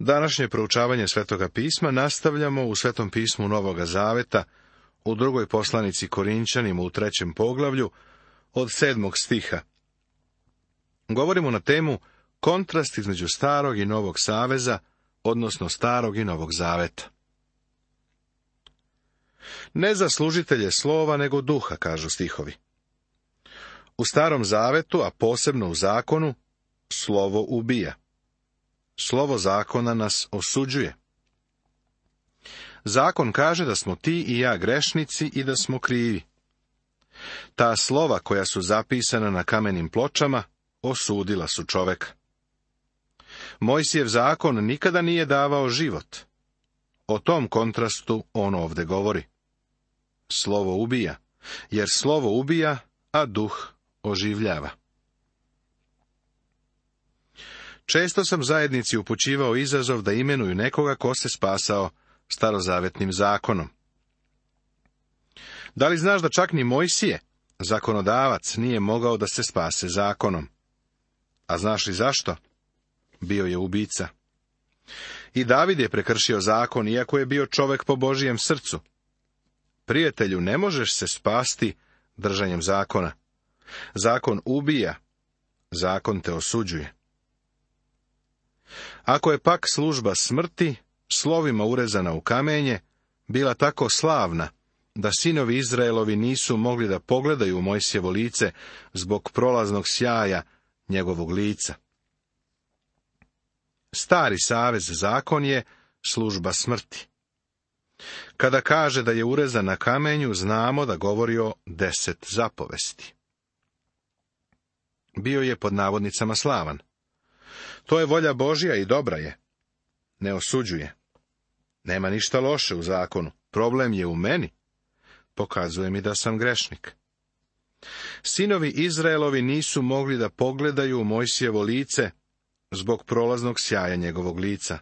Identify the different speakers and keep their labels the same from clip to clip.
Speaker 1: Današnje proučavanje Svetoga pisma nastavljamo u Svetom pismu Novoga Zaveta, u drugoj poslanici Korinćanima u 3. poglavlju, od 7. stiha. Govorimo na temu kontrast između Starog i Novog Saveza, odnosno Starog i Novog Zaveta. Ne za služitelje slova, nego duha, kažu stihovi. U Starom Zavetu, a posebno u zakonu, slovo ubija. Slovo zakona nas osuđuje. Zakon kaže da smo ti i ja grešnici i da smo krivi. Ta slova koja su zapisana na kamenim pločama osudila su čoveka. Mojsijev zakon nikada nije davao život. O tom kontrastu on ovde govori. Slovo ubija, jer slovo ubija, a duh oživljava. Često sam zajednici upućivao izazov da imenuju nekoga ko se spasao starozavetnim zakonom. Da li znaš da čak ni Mojsije, zakonodavac, nije mogao da se spase zakonom? A znaš li zašto? Bio je ubica. I David je prekršio zakon, iako je bio čovek po Božijem srcu. Prijatelju, ne možeš se spasti držanjem zakona. Zakon ubija, zakon te osuđuje. Ako je pak služba smrti, slovima urezana u kamenje, bila tako slavna, da sinovi Izraelovi nisu mogli da pogledaju u Mojsijevo lice zbog prolaznog sjaja njegovog lica. Stari savez zakon je služba smrti. Kada kaže da je urezan na kamenju, znamo da govori o 10 zapovesti. Bio je pod navodnicama slavan. To je volja Božja i dobra je. Ne osuđuje. Nema ništa loše u zakonu. Problem je u meni. Pokazuje mi da sam grešnik. Sinovi Izraelovi nisu mogli da pogledaju u Mojsijevo lice zbog prolaznog sjaja njegovog lica.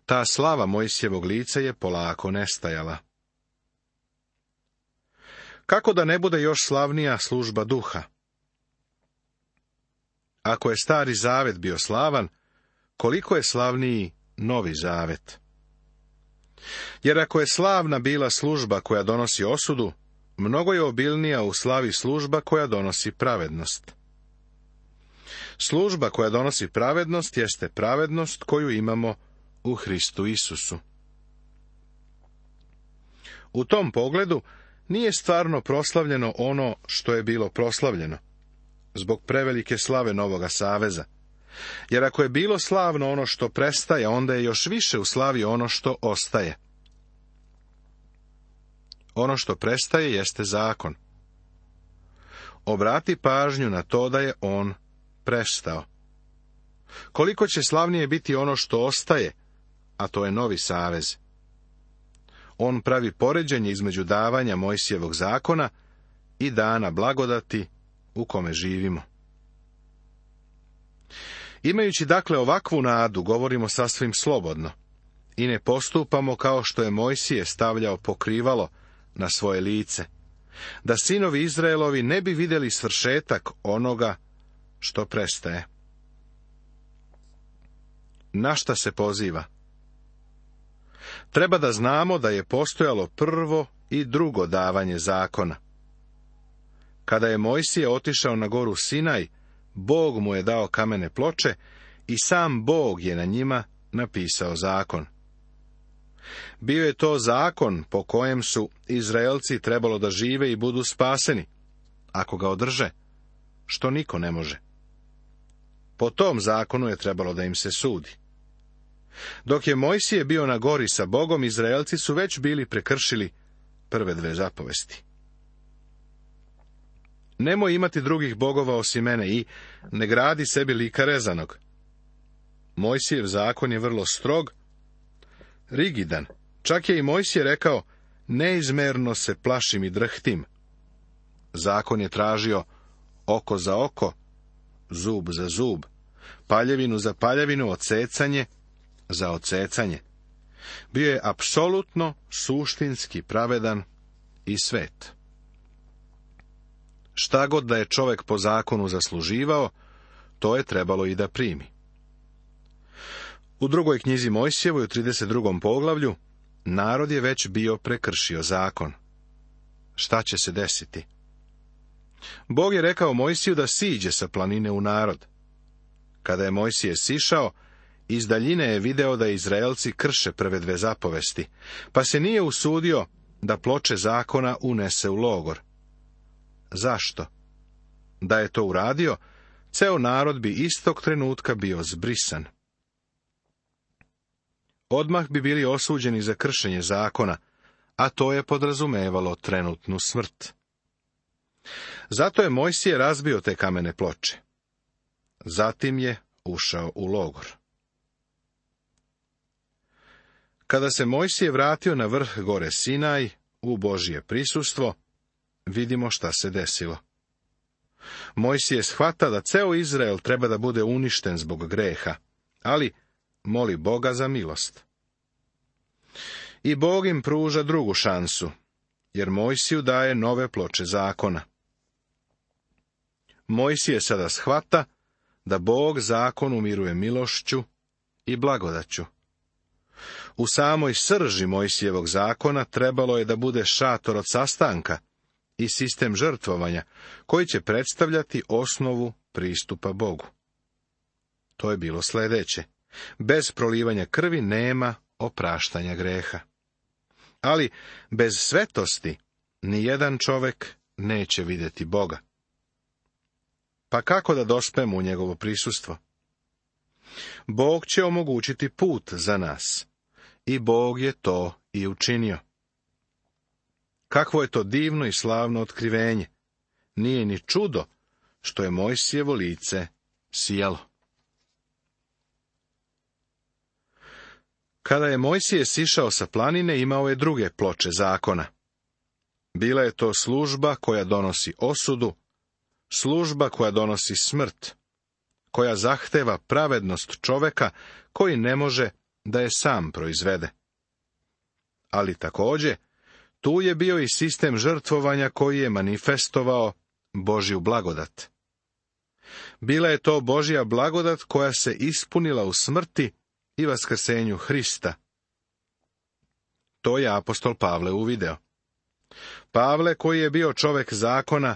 Speaker 1: Ta slava Mojsijevog lica je polako nestajala. Kako da ne bude još slavnija služba duha? Ako je Stari Zavet bio slavan, koliko je slavniji Novi Zavet? Jer ako je slavna bila služba koja donosi osudu, mnogo je obilnija u slavi služba koja donosi pravednost. Služba koja donosi pravednost jeste pravednost koju imamo u Hristu Isusu. U tom pogledu nije stvarno proslavljeno ono što je bilo proslavljeno, zbog prevelike slave Novoga Saveza. Jer ako je bilo slavno ono što prestaje, onda je još više u slavi ono što ostaje. Ono što prestaje jeste zakon. Obrati pažnju na to da je on prestao. Koliko će slavnije biti ono što ostaje, a to je Novi Savez. On pravi poređenje između davanja Mojsijevog zakona i dana blagodati u kome živimo. Imajući dakle ovakvu nadu, govorimo sasvim slobodno i ne postupamo kao što je Mojsije stavljao pokrivalo na svoje lice, da sinovi Izraelovi ne bi vidjeli svršetak onoga što prestaje. Na šta se poziva? Treba da znamo da je postojalo prvo i drugo davanje zakona. Kada je Mojsije otišao na goru Sinaj, Bog mu je dao kamene ploče i sam Bog je na njima napisao zakon. Bio je to zakon po kojem su Izraelci trebalo da žive i budu spaseni, ako ga održe, što niko ne može. Po tom zakonu je trebalo da im se sudi. Dok je Mojsije bio na gori sa Bogom, Izraelci su već bili prekršili prve 2 zapovesti. Nemoj imati drugih bogova osim mene i ne gradi sebi lika rezanog. Mojsijev zakon je vrlo strog, rigidan. Čak je i Mojsije rekao, neizmerno se plašim i drhtim. Zakon je tražio oko za oko, zub za zub, paljevinu za paljevinu, odsecanje za odsecanje. Bio je apsolutno suštinski pravedan i svet. Šta god da je čovjek po zakonu zasluživao, to je trebalo i da primi. U drugoj knjizi Mojsijevoj, u 32. poglavlju, narod je već bio prekršio zakon. Šta će se desiti? Bog je rekao Mojsiju da siđe sa planine u narod. Kada je Mojsije sišao, iz daljine je video da Izraelci krše prve dve zapovesti, pa se nije usudio da ploče zakona unese u logor. Zašto? Da je to uradio, ceo narod bi istog trenutka bio zbrisan. Odmah bi bili osuđeni za kršenje zakona, a to je podrazumevalo trenutnu smrt. Zato je Mojsije razbio te kamene ploče. Zatim je ušao u logor. Kada se Mojsije vratio na vrh gore Sinaj, u Božje prisustvo, vidimo šta se desilo. Mojsije shvata da ceo Izrael treba da bude uništen zbog greha, ali moli Boga za milost. I Bog im pruža drugu šansu, jer Mojsiju daje nove ploče zakona. Mojsije sada shvata da Bog zakon umiruje milošću i blagodaću. U samoj srži Mojsijevog zakona trebalo je da bude šator od sastanka i sistem žrtvovanja, koji će predstavljati osnovu pristupa Bogu. To je bilo sljedeće. Bez prolivanja krvi nema opraštanja greha. Ali bez svetosti nijedan čovek neće vidjeti Boga. Pa kako da dospemo u njegovo prisustvo? Bog će omogućiti put za nas. I Bog je to i učinio. Kakvo je to divno i slavno otkrivenje. Nije ni čudo što je Mojsijevo lice sijalo. Kada je Mojsije sišao sa planine, imao je druge ploče zakona. Bila je to služba koja donosi osudu, služba koja donosi smrt, koja zahteva pravednost čoveka koji ne može da je sam proizvede. Ali također, tu je bio i sistem žrtvovanja koji je manifestovao Božju blagodat. Bila je to Božja blagodat koja se ispunila u smrti i vaskrsenju Hrista. To je apostol Pavle uvideo. Pavle, koji je bio čovek zakona,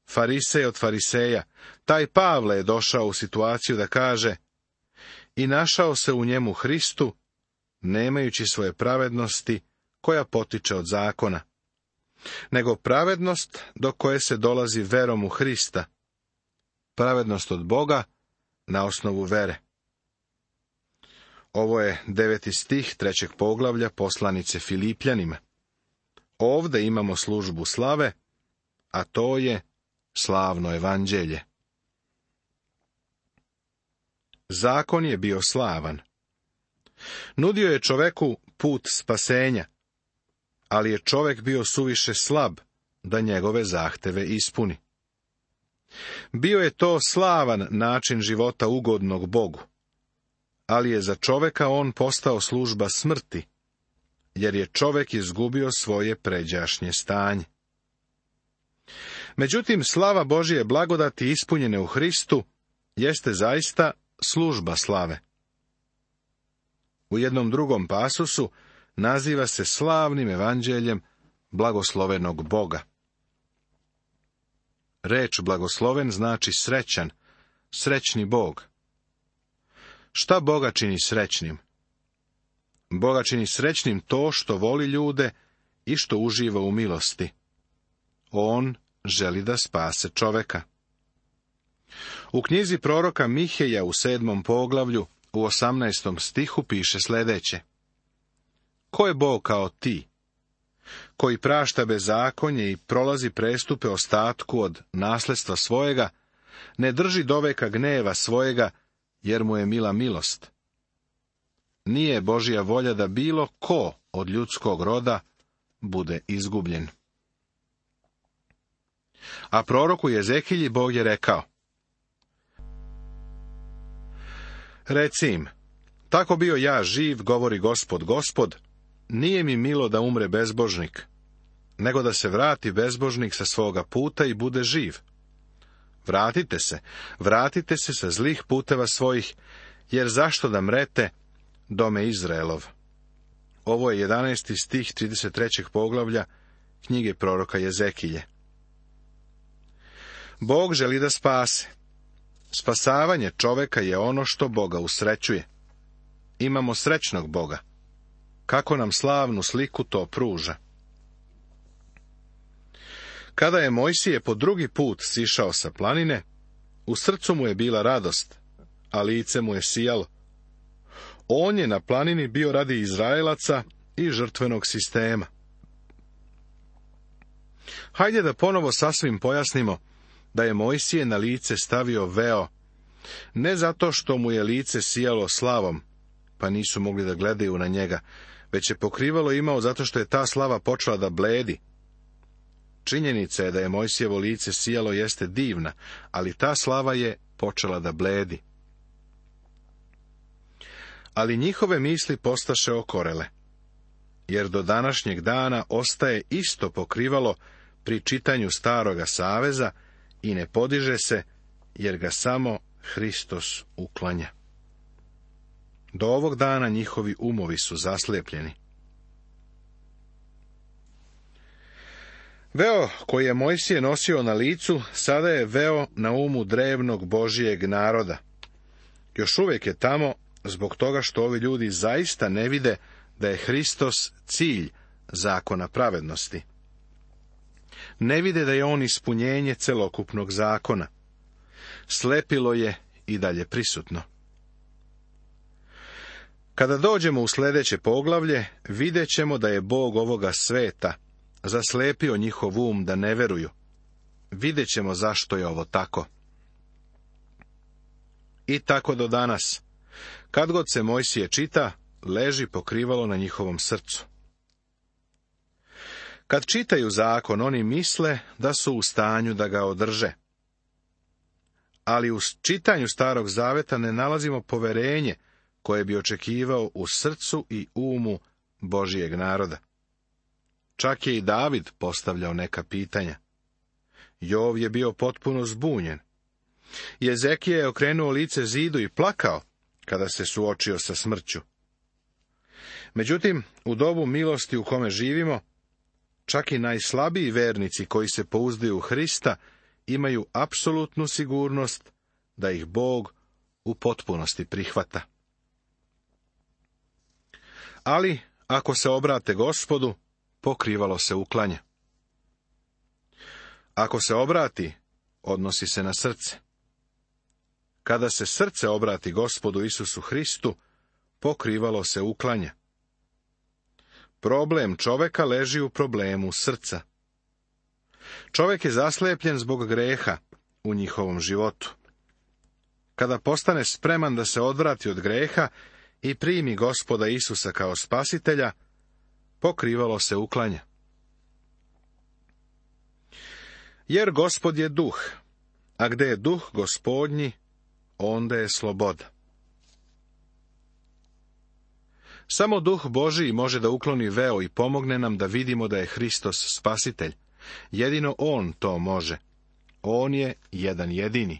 Speaker 1: farisej od fariseja, taj Pavle je došao u situaciju da kaže: i našao se u njemu Hristu, nemajući svoje pravednosti koja potiče od zakona, nego pravednost do koje se dolazi verom u Hrista, pravednost od Boga na osnovu vere. Ovo je 9. stih 3. poglavlja poslanice Filipljanima. Ovde imamo službu slave, a to je slavno evanđelje. Zakon je bio slavan. Nudio je čoveku put spasenja, ali je čovek bio suviše slab da njegove zahteve ispuni. Bio je to slavan način života ugodnog Bogu, ali je za čoveka on postao služba smrti, jer je čovek izgubio svoje pređašnje stanje. Međutim, slava Božje blagodati ispunjene u Hristu jeste zaista služba slave. U jednom drugom pasusu naziva se slavnim evanđeljem blagoslovenog Boga. Reč blagosloven znači srećan, srećni Bog. Šta Boga čini srećnim? Boga čini srećnim to što voli ljude i što uživa u milosti. On želi da spase čoveka. U knjizi proroka Miheja u 7. poglavlju, u 18. stihu piše sljedeće: ko je Bog kao ti, koji prašta bezakonje i prolazi prestupe ostatku od nasledstva svojega, ne drži doveka gneva svojega, jer mu je mila milost. Nije Božja volja da bilo ko od ljudskog roda bude izgubljen. A proroku Jezekilji Bog je rekao: reci im, tako bio ja živ, govori Gospod, Gospod, nije mi milo da umre bezbožnik, nego da se vrati bezbožnik sa svoga puta i bude živ. Vratite se sa zlih puteva svojih, jer zašto da mrete dome Izraelov. Ovo je 11. stih 33. poglavlja knjige proroka Jezekilje. Bog želi da spase. Spasavanje čoveka je ono što Boga usrećuje. Imamo srećnog Boga. Kako nam slavnu sliku to pruža. Kada je Mojsije po drugi put sišao sa planine, u srcu mu je bila radost, a lice mu je sijalo. On je na planini bio radi Izraelaca i žrtvenog sistema. Hajde da ponovo sasvim pojasnimo da je Mojsije na lice stavio veo, ne zato što mu je lice sijalo slavom, pa nisu mogli da gledaju na njega, već je pokrivalo imao zato što je ta slava počela da bledi. Činjenica je da je Mojsijevo lice sijalo jeste divna, ali ta slava je počela da bledi. Ali njihove misli postaše okorele, jer do današnjeg dana ostaje isto pokrivalo pri čitanju Staroga saveza i ne podiže se, jer ga samo Hristos uklanja. Do ovog dana njihovi umovi su zaslijepljeni. Veo koji je Mojsije nosio na licu, sada je veo na umu drevnog Božijeg naroda. Još uvijek je tamo, zbog toga što ovi ljudi zaista ne vide da je Hristos cilj zakona pravednosti. Ne vide da je on ispunjenje celokupnog zakona. Slepilo je i dalje prisutno. Kada dođemo u sljedeće poglavlje, vidjet ćemo da je Bog ovoga sveta zaslepio njihov um da ne veruju. Vidjet ćemo zašto je ovo tako. I tako do danas. Kad god se Mojsije čita, leži pokrivalo na njihovom srcu. Kad čitaju zakon, oni misle da su u stanju da ga održe. Ali u čitanju Starog zaveta ne nalazimo poverenje koje bi očekivao u srcu i umu Božijeg naroda. Čak je i David postavljao neka pitanja. Jov je bio potpuno zbunjen. Jezekije je okrenuo lice zidu i plakao kada se suočio sa smrću. Međutim, u dobu milosti u kome živimo, čak i najslabiji vernici koji se pouzdaju u Hrista imaju apsolutnu sigurnost da ih Bog u potpunosti prihvata. Ali, ako se obrate Gospodu, pokrivalo se uklanja. Ako se obrati, odnosi se na srce. Kada se srce obrati Gospodu Isusu Hristu, pokrivalo se uklanja. Problem čoveka leži u problemu srca. Čovjek je zaslepljen zbog greha u njihovom životu. Kada postane spreman da se odvrati od greha i primi Gospoda Isusa kao spasitelja, pokrivalo se uklanja. Jer Gospod je duh, a gde je duh Gospodnji, onda je sloboda. Samo duh Božiji može da ukloni veo i pomogne nam da vidimo da je Hristos spasitelj. Jedino on to može. On je jedan jedini.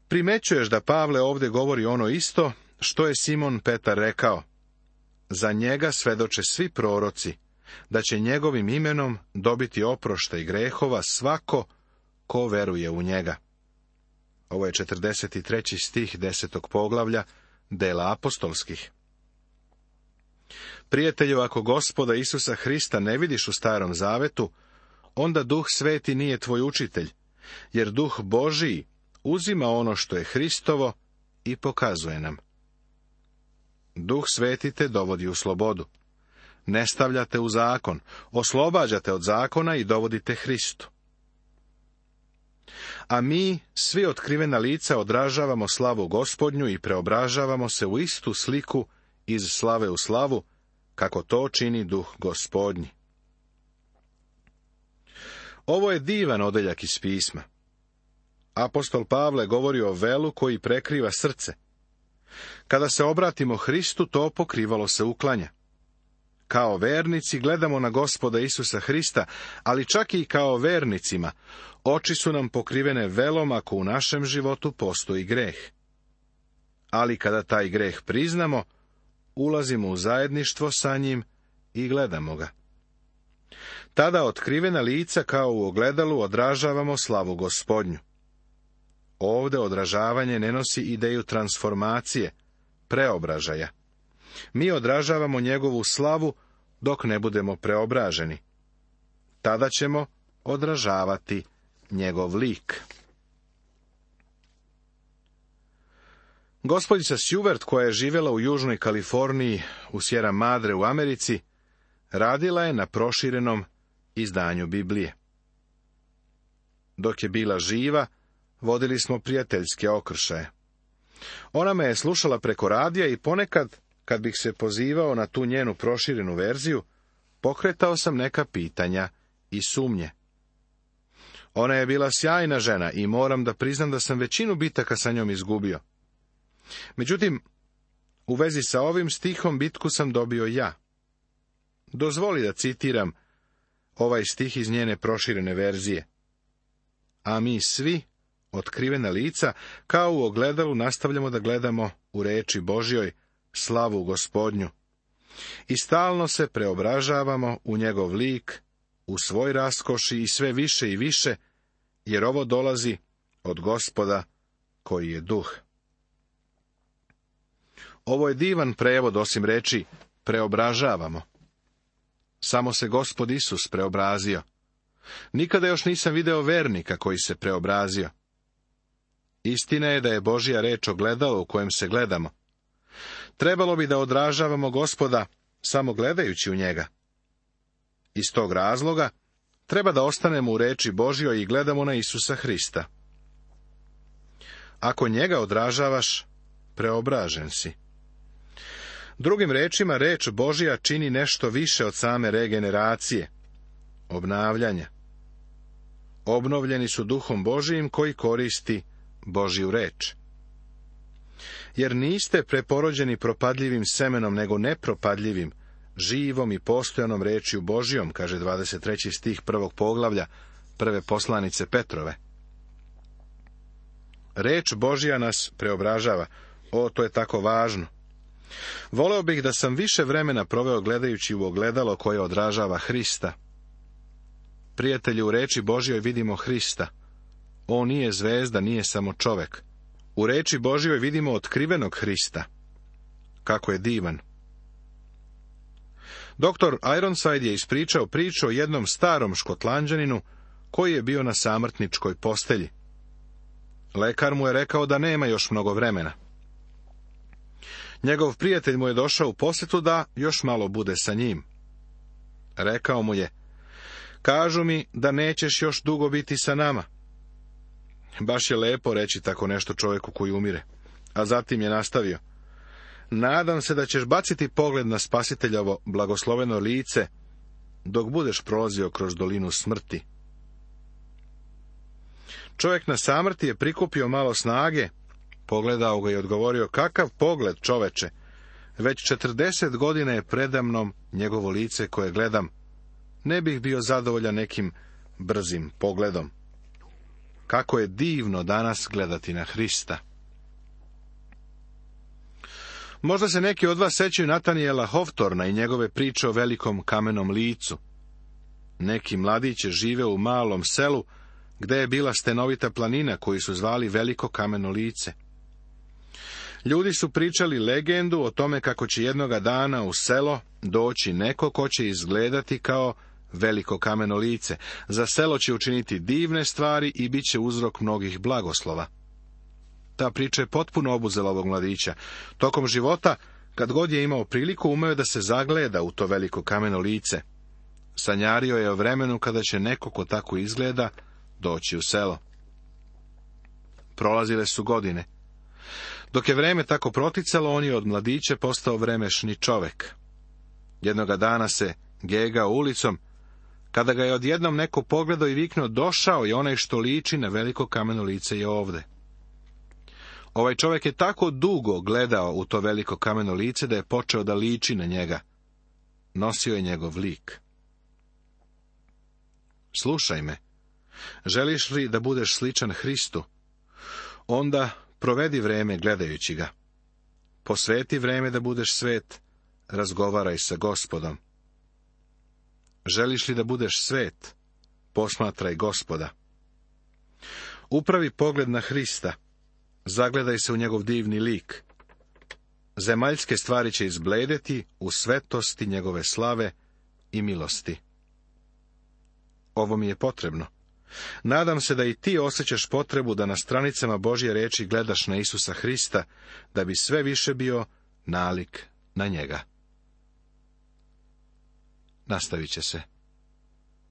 Speaker 1: Primećuješ da Pavle ovdje govori ono isto što je Simon Petar rekao. Za njega svedoče svi proroci, da će njegovim imenom dobiti oproštaj grehova svako ko veruje u njega. Ovo je 43. stih 10. poglavlja Dela apostolskih. Prijatelju, ako Gospoda Isusa Hrista ne vidiš u Starom zavetu, onda Duh Sveti nije tvoj učitelj, jer Duh Božiji uzima ono što je Hristovo i pokazuje nam. Duh Sveti te dovodi u slobodu. Ne stavljate u zakon, oslobađate od zakona i dovodite Hristu. A mi, svi otkrivena lica, odražavamo slavu Gospodnju i preobražavamo se u istu sliku iz slave u slavu, kako to čini Duh Gospodnji. Ovo je divan odeljak iz pisma. Apostol Pavle govori o velu koji prekriva srce. Kada se obratimo Hristu, to pokrivalo se uklanja. Kao vernici gledamo na Gospoda Isusa Hrista, ali čak i kao vernicima, oči su nam pokrivene velom ako u našem životu postoji greh. ali kada taj greh priznamo, ulazimo u zajedništvo sa njim i gledamo ga. Tada otkrivena lica kao u ogledalu odražavamo slavu Gospodnju. Ovde odražavanje ne nosi ideju transformacije, preobražaja. Mi odražavamo njegovu slavu dok ne budemo preobraženi. Tada ćemo odražavati njegov lik. Gospođica Seward, koja je živjela u Južnoj Kaliforniji u Sierra Madre u Americi, radila je na proširenom izdanju Biblije. Dok je bila živa, vodili smo prijateljske okršaje. Ona me je slušala preko radija i ponekad, kad bih se pozivao na tu njenu proširenu verziju, pokretao sam neka pitanja i sumnje. Ona je bila sjajna žena i moram da priznam da sam većinu bitaka sa njom izgubio. Međutim, u vezi sa ovim stihom bitku sam dobio ja. Dozvoli da citiram ovaj stih iz njene proširene verzije. A mi svi, otkrivena lica, kao u ogledalu nastavljamo da gledamo u reči Božjoj slavu Gospodnju. I stalno se preobražavamo u njegov lik, u svoj raskoši i sve više i više, jer ovo dolazi od Gospoda koji je duh. Ovo je divan prevod, osim reči preobražavamo. Samo se Gospod Isus preobrazio. Nikada još nisam video vernika koji se preobrazio. Istina je da je Božja reč ogledalo u kojem se gledamo. Trebalo bi da odražavamo Gospoda samo gledajući u njega. Iz tog razloga treba da ostanemo u reči Božjoj i gledamo na Isusa Hrista. Ako njega odražavaš, preobražen si. Drugim rečima, reč Božja čini nešto više od same regeneracije, obnavljanja. Obnovljeni su duhom Božijim koji koristi Božju reč. Jer niste preporođeni propadljivim semenom, nego nepropadljivim, živom i postojanom rečju Božjom, kaže 23. stih 1. poglavlja prve poslanice Petrove. Reč Božja nas preobražava. To je tako važno. Voleo bih da sam više vremena proveo gledajući u ogledalo koje odražava Hrista. Prijatelji, u reči Božjoj vidimo Hrista. On nije zvezda, nije samo čovek. U reči Božjoj vidimo otkrivenog Hrista. Kako je divan. Doktor Ironside je ispričao priču o jednom starom Škotlanđaninu koji je bio na samrtničkoj postelji. Lekar mu je rekao da nema još mnogo vremena. Njegov prijatelj mu je došao u posjetu da još malo bude sa njim. Rekao mu je: kažu mi da nećeš još dugo biti sa nama. Baš je lepo reći tako nešto čovjeku koji umire. A zatim je nastavio: nadam se da ćeš baciti pogled na Spasiteljovo blagosloveno lice dok budeš prolazio kroz dolinu smrti. Čovjek na samrti je prikupio malo snage, pogledao ga i odgovorio: kakav pogled, čoveče, već 40 godina je predamnom njegovo lice koje gledam, ne bih bio zadovoljan nekim brzim pogledom. Kako je divno danas gledati na Hrista. Možda se neki od vas sećaju Natanijela Hoftorna i njegove priče o velikom kamenom licu. Neki mladiće žive u malom selu, gde je bila stenovita planina koju su zvali Veliko kameno lice. Ljudi su pričali legendu o tome kako će jednoga dana u selo doći neko ko će izgledati kao veliko kameno lice. Za selo će učiniti divne stvari i bit će uzrok mnogih blagoslova. Ta priča je potpuno obuzela ovog mladića. Tokom života, kad god je imao priliku, umeo da se zagleda u to veliko kameno lice. Sanjario je o vremenu kada će neko ko tako izgleda doći u selo. Prolazile su godine. Dok je vreme tako proticalo, on je od mladića postao vremešni čovek. Jednoga dana se gegao ulicom, kada ga je odjednom neko pogledao i viknuo: došao je onaj što liči na veliko kameno lice je ovde. Ovaj čovjek je tako dugo gledao u to veliko kameno lice da je počeo da liči na njega. Nosio je njegov lik. Slušaj me, želiš li da budeš sličan Hristu? Onda provedi vreme gledajući ga. Posveti vreme da budeš svet, razgovaraj sa Gospodom. Želiš li da budeš svet? Posmatraj Gospoda. Upravi pogled na Hrista, zagledaj se u njegov divni lik. Zemaljske stvari će izbledeti u svetosti njegove slave i milosti. Ovo mi je potrebno. Nadam se da i ti osjećaš potrebu da na stranicama Božje riječi gledaš na Isusa Hrista, da bi sve više bio nalik na njega. Nastavit će se.